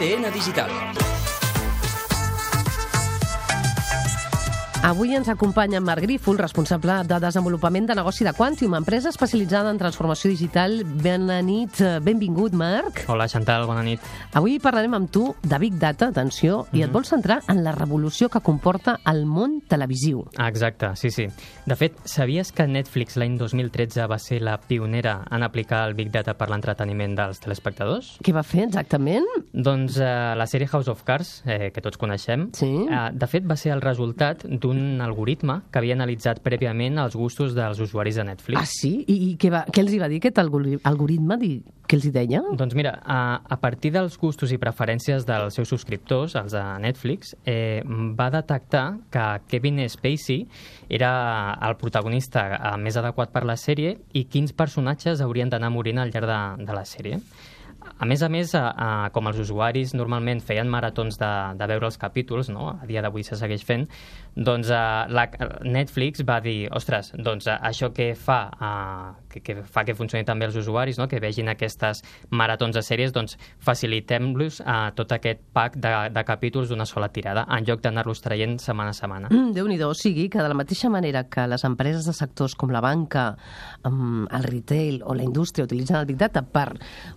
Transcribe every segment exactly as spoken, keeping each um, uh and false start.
A D N Digital. Avui ens acompanya en Marc Grífol, responsable de desenvolupament de negoci de Quantium, empresa especialitzada en transformació digital. Bona nit, benvingut, Marc. Hola, Chantal, bona nit. Avui parlarem amb tu de Big Data, atenció, mm-hmm. i et vols centrar en la revolució que comporta el món televisiu. Ah, exacte, sí, sí. De fet, sabies que Netflix l'any dos mil tretze va ser la pionera en aplicar el Big Data per l'entreteniment dels telespectadors? Què va fer exactament? Doncs eh, la sèrie House of Cards, eh, que tots coneixem, sí. eh, de fet va ser el resultat d'un un algoritme que havia analitzat prèviament els gustos dels usuaris de Netflix. Ah, sí? I, i què, va, què els hi va dir aquest algoritme? Què els hi deia? Doncs mira, a, a partir dels gustos i preferències dels seus subscriptors, els de Netflix, eh, va detectar que Kevin Spacey era el protagonista més adequat per la sèrie i quins personatges haurien d'anar morint al llarg de, de la sèrie. A més a més, a, a, com els usuaris normalment feien maratons de, de veure els capítols, no? A dia d'avui se segueix fent, doncs a, la, Netflix va dir, ostres, doncs a, això que fa, a, que, que fa que funcioni també els usuaris, no? Que vegin aquestes maratons de sèries, doncs facilitem-los a tot aquest pack de, de capítols d'una sola tirada, en lloc d'anar-los traient setmana a setmana. Mm, Déu-n'hi-do, o sigui que de la mateixa manera que les empreses de sectors com la banca, um, el retail o la indústria utilitzen el Big Data per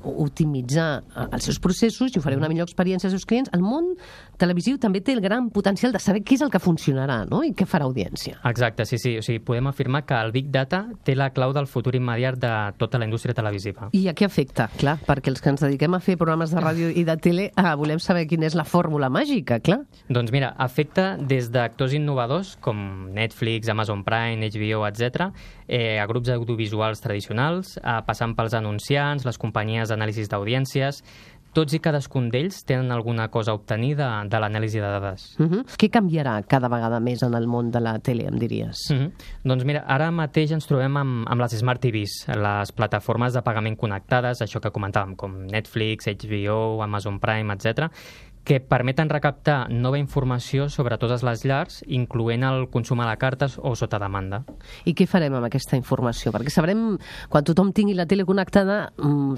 optimitzar els seus processos i oferir una millor experiència als seus clients, el món televisiu també té el gran potencial de saber què és el que funcionarà, no? I què farà audiència. Exacte, sí, sí. O sigui, podem afirmar que el Big Data té la clau del futur immediat de tota la indústria televisiva. I a què afecta? Clar, perquè els que ens dediquem a fer programes de ràdio i de tele ah, volem saber quina és la fórmula màgica, clar. Doncs mira, afecta des d'actors innovadors com Netflix, Amazon Prime, H B O, etcètera, eh, a grups audiovisuals tradicionals, eh, passant pels anunciants, les companyies d'anàlisis d'audiències. Tots i cadascun d'ells tenen alguna cosa a obtenir de, de l'anàlisi de dades. Uh-huh. Què canviarà cada vegada més en el món de la tele, em diries? Uh-huh. Doncs mira, ara mateix ens trobem amb, amb les Smart T Vs, les plataformes de pagament connectades, això que comentàvem, com Netflix, H B O, Amazon Prime, etcètera, que permeten recaptar nova informació sobre totes les llars, incloent el consum a la carta o sota demanda. I què farem amb aquesta informació? Perquè sabrem, quan tothom tingui la tele connectada,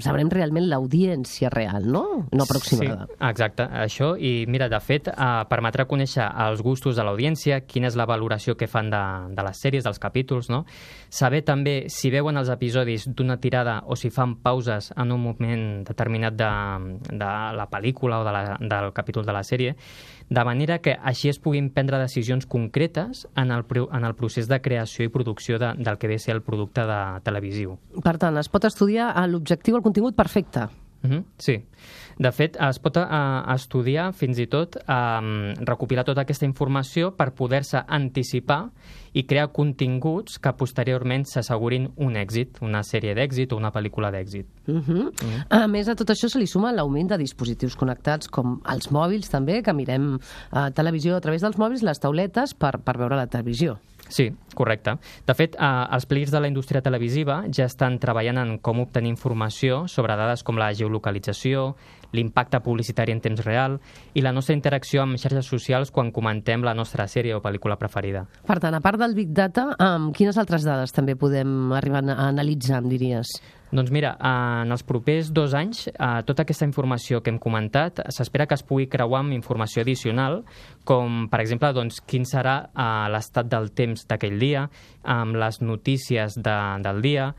sabrem realment l'audiència real, no? No aproximada. Sí, exacte, això. I mira, de fet, eh, permetrà conèixer els gustos de l'audiència, quina és la valoració que fan de, de les sèries, dels capítols, no? Saber també si veuen els episodis d'una tirada o si fan pauses en un moment determinat de, de la pel·lícula o de la, del capítol de la sèrie, de manera que així es puguin prendre decisions concretes en el, en el procés de creació i producció de, del que ve a ser el producte de televisiu. Per tant, es pot estudiar l'objectiu, el contingut perfecte. Uh-huh, sí. De fet, es pot uh, estudiar fins i tot um, recopilar tota aquesta informació per poder-se anticipar i crear continguts que posteriorment s'assegurin un èxit, una sèrie d'èxit o una pel·lícula d'èxit. Uh-huh. Uh-huh. A més de tot això se li suma l'augment de dispositius connectats com els mòbils també, que mirem uh, televisió a través dels mòbils, les tauletes per, per veure la televisió. Sí, correcte. De fet, eh, els players de la indústria televisiva ja estan treballant en com obtenir informació sobre dades com la geolocalització, l'impacte publicitari en temps real i la nostra interacció amb xarxes socials quan comentem la nostra sèrie o pel·lícula preferida. Per tant, a part del Big Data, amb quines altres dades també podem arribar a analitzar, em diries? Doncs mira, en els propers dos anys, tota aquesta informació que hem comentat s'espera que es pugui creuar amb informació addicional, com, per exemple, doncs, quin serà l'estat del temps d'aquell dia, amb les notícies de, del dia,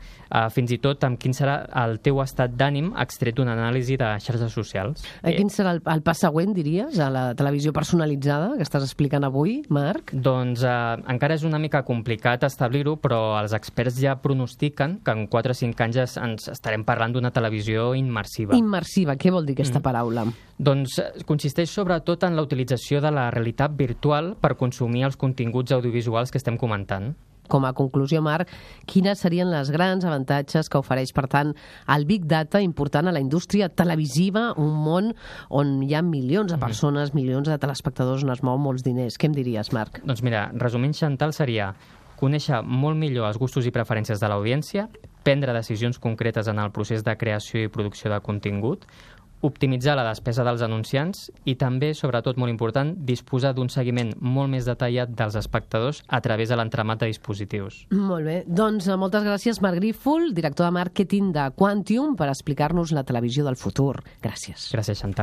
fins i tot amb quin serà el teu estat d'ànim extret d'una anàlisi de xarxes socials. Eh, quin serà el, el pas següent, diries, a la televisió personalitzada que estàs explicant avui, Marc? Doncs eh, encara és una mica complicat establir-ho, però els experts ja pronostiquen que en quatre o cinc anys es ens estarem parlant d'una televisió immersiva. Immersiva, què vol dir aquesta mm. paraula? Doncs consisteix sobretot en la utilització de la realitat virtual per consumir els continguts audiovisuals que estem comentant. Com a conclusió, Marc, quines serien les grans avantatges que ofereix, per tant, el Big Data important a la indústria televisiva, un món on hi ha milions de persones, mm. milions de telespectadors on es mou molts diners? Què em diries, Marc? Doncs mira, resumint, Chantal, seria conèixer molt millor els gustos i preferències de l'audiència, prendre decisions concretes en el procés de creació i producció de contingut, optimitzar la despesa dels anunciants i també, sobretot molt important, disposar d'un seguiment molt més detallat dels espectadors a través de l'entramat de dispositius. Molt bé. Doncs moltes gràcies, Marc Grífol, director de màrqueting de Quantium, per explicar-nos la televisió del futur. Gràcies. Gràcies, Chantal.